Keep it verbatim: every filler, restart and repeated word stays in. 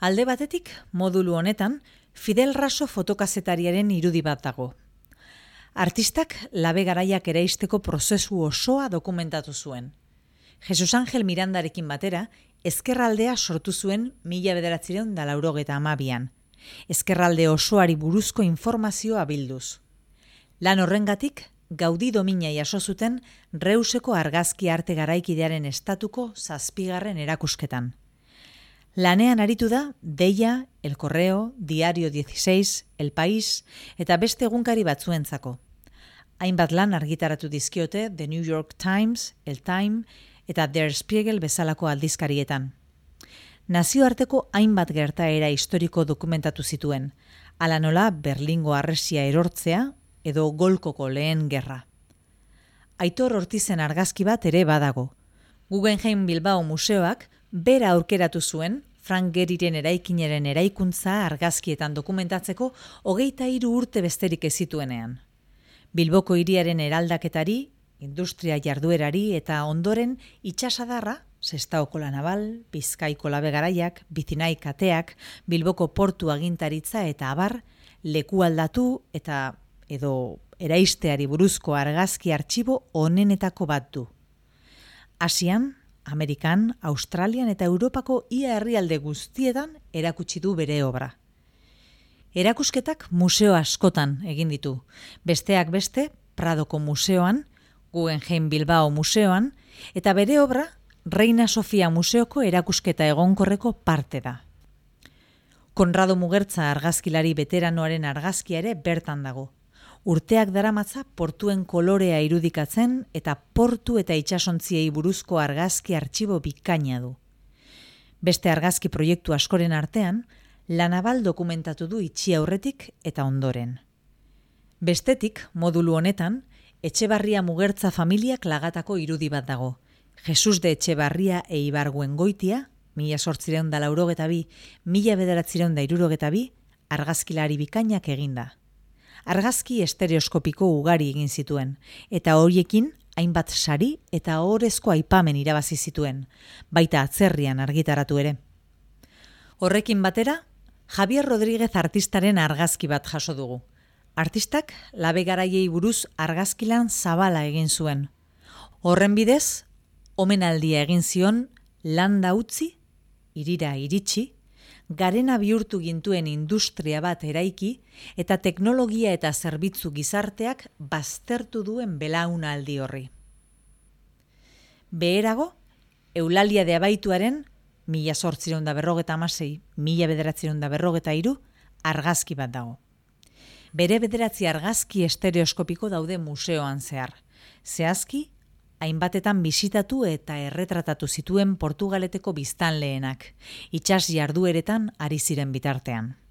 Alde batetik, modulu honetan, Fidel Raso fotokazetariaren irudi bat dago. Artistak labe garaiak eraisteko prozesu osoa dokumentatu zuen. Jesus Angel Mirandarekin batera, ezkerraldea sortu zuen mila bederatziehun eta laurogeita hamabian. Ezkerralde osoari buruzko informazioa bilduz. Lan horrengatik, Gaudi domina jaso zuten Reuseko argazki arte garaikidearen estatuko zazpigarren erakusketan. Lanean aritu da Deia, El Correo, Diario dieciséis, El País eta beste egunkari batzuentzako. Hainbat lan argitaratu dizkiote The New York Times, El Time eta Der Spiegel bezalako aldizkarietan. Nazioarteko hainbat gertaera historiko dokumentatu zituen, hala nola Berlingo harresia erortzea edo Golkoko lehen gerra. Aitor Ortizen argazki bat ere badago. Guggenheim Bilbao museoak bera aurkeratu zuen Frank Gehryren eraikinaren eraikuntza argazkietan dokumentatzeko hogeita hiru urte besterik ez zituenean. Bilboko hiriaren eraldaketari, industria jarduerari eta ondoren itsasadarra, Sestaoko la Naval, Bizkaiko labe garaiak, Bizinai kateak, Bilboko portu agintaritza eta abar, leku aldatu eta edo eraisteari buruzko argazki artxibo onenetako bat du. Asian, Amerikan, Australian eta Europako ia herrialde guztietan erakutsi du bere obra. Erakusketak museo askotan egin ditu, besteak beste Pradoko museoan, Guggenheim Bilbao museoan, eta bere obra Reina Sofia museoko erakusketa egonkorreko parte da. Konrado Mugertza argazkilari veteranoaren argazkia ere bertan dago. Urteak daramatza portuen kolorea irudikatzen eta portu eta itsasontziei buruzko argazki artxibo bikaina du. Beste argazki proiektu askoren artean, La Naval dokumentatu du itxi aurretik eta ondoren. Bestetik, modulu honetan, Etxebarria Mugertza familiak lagatako irudi bat dago. Jesus de Etxebarria e Ibargüengoitia, mila zortziehun eta laurogeita bi, mila bederatziehun eta hirurogeta bi, argazkilari bikainak eginda. Argazki estereoskopiko ugari egin zituen, eta horiekin hainbat sari eta ohorezko aipamen irabazi zituen, baita atzerrian argitaratu ere. Horrekin batera, Javier Rodríguez artistaren argazki bat jaso dugu. Artistak labe garaiei buruz argazkilan zabala egin zuen. Horren bidez, omenaldia egin zion landa utzi, hirira iritsi, garena bihurtu gintuen industria bat eraiki eta teknologia eta zerbitzu gizarteak baztertu duen belaunaldi horri. Beherago, Eulalia de Abaituaren mila zortziehun eta berrogeta hamasei, mila bederatziehun eta berrogeta hiru argazki bat dago. Bere bederatzi argazki estereoskopiko daude museoan zehar. Zehazki, hainbatetan bisitatu eta erretratatu zituen Portugaleteko biztanleenak, itsas jardueretan ari ziren bitartean.